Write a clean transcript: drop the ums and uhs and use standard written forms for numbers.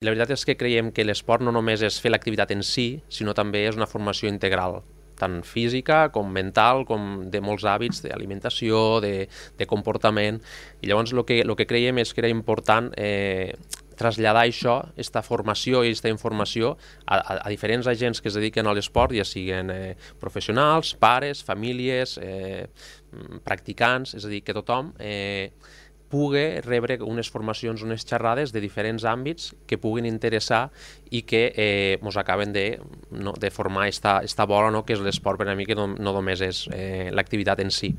La veritat és que creiem que l'esport no només és fer l'activitat en si, sinó també és una formació integral, tant física com mental, com de molts hàbits d'alimentació, de comportament. I llavors el que creiem és que era important traslladar això, aquesta formació i aquesta informació a diferents agents que es dediquen a l'esport, ja siguin professionals, pares, famílies, practicants, és a dir, que tothom pugui rebre unes formacions, unes xerrades de diferents àmbits que puguin interessar i que ens acaben de formar esta bola, no?, que és l'esport per a mi, que no només és l'activitat en si.